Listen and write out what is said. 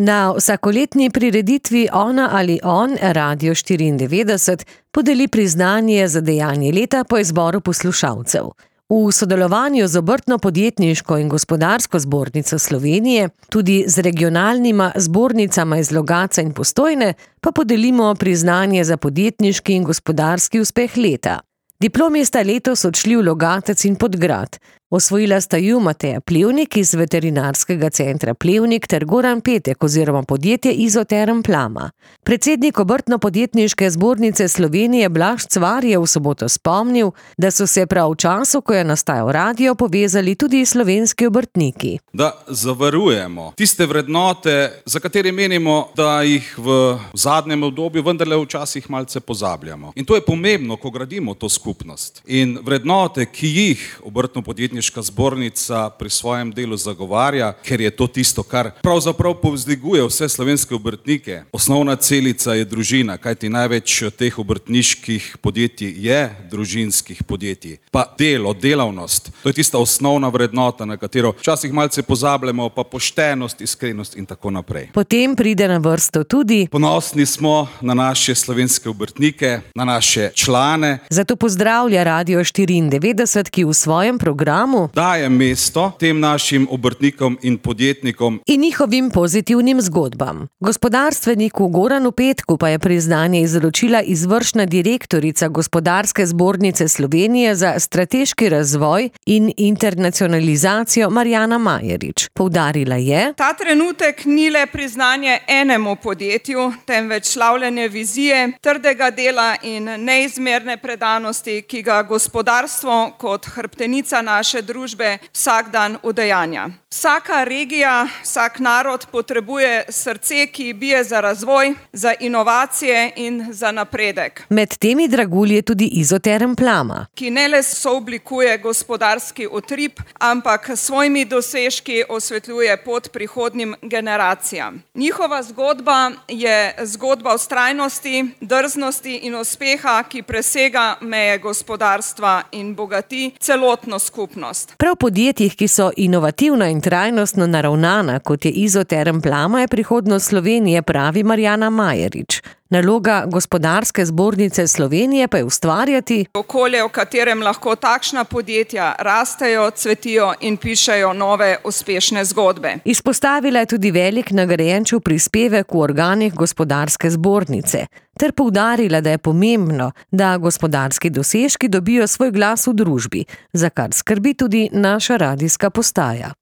Na vsakoletni prireditvi Ona ali on Radio 94 podeli priznanje za dejanje leta po izboru poslušalcev. V sodelovanju z Obrtno-podjetniško in gospodarsko zbornico Slovenije, tudi z regionalnima zbornicama iz Logatca in Postojne, pa podelimo priznanje za podjetniški in gospodarski uspeh leta. Diplomi sta letos odšli v Logatec in Podgrad. Osvojila sta ju Mateja Plevnik iz Veterinarskega centra Plevnik ter Goran Petek oziroma podjetje Izoterm Plama. Predsednik Obrtno-podjetniške zbornice Slovenije Blaž Cvar je v soboto spomnil, da so se prav v času, ko je nastajal radio, povezali tudi slovenski obrtniki. Da zavarujemo tiste vrednote, za katere menimo, da jih v zadnjem obdobju vendarle včasih malce pozabljamo. In to je pomembno, ko gradimo to skupnost. In vrednote, ki jih Obrtno-podjetniška zbornica pri svojem delu zagovarja, ker je to tisto, kar pravzaprav povzdiguje vse slovenske obrtnike. Osnovna celica je družina, kajti največ teh obrtniških podjetij je družinskih podjetij. Pa delo, delavnost, to je tista osnovna vrednota, na katero včasih malce pozabljamo, pa poštenost, iskrenost in tako naprej. Potem pride na vrsto tudi: ponosni smo na naše slovenske obrtnike, na naše člane. Zato pozdravlja Radio 94, ki v svojem programu daje mesto tem našim obrtnikom in podjetnikom in njihovim pozitivnim zgodbam. Gospodarstveniku Goranu Petku pa je priznanje izročila izvršna direktorica Gospodarske zbornice Slovenije za strateški razvoj in internacionalizacijo Marjana Majerič. Poudarila je: ta trenutek ni le priznanje enemu podjetju, temveč slavljenje vizije, trdega dela in neizmerne predanosti, ki ga gospodarstvo kot hrbtenica naše družbe vsak dan udejanja. Vsaka regija, vsak narod potrebuje srce, ki bije za razvoj, za inovacije in za napredek. Med temi dragulji je tudi Izoterm Plama, ki ne le sooblikuje gospodarski utrip, ampak s svojimi dosežki osvetljuje pot prihodnjim generacijam. Njihova zgodba je zgodba vztrajnosti, drznosti in uspeha, ki presega meje gospodarstva in bogati celotno skupnost. Prav podjetjih, ki so inovativno in trajnostno naravnana, kot je Izoterm Plama, je prihodnost Slovenije, pravi Marjana Majerič. Naloga Gospodarske zbornice Slovenije pa je ustvarjati okolje, v katerem lahko takšna podjetja rastejo, cvetijo in pišejo nove uspešne zgodbe. Izpostavila je tudi velik nagrajenčev prispevek v organih Gospodarske zbornice ter poudarila, da je pomembno, da gospodarski dosežki dobijo svoj glas v družbi, za kar skrbi tudi naša radijska postaja.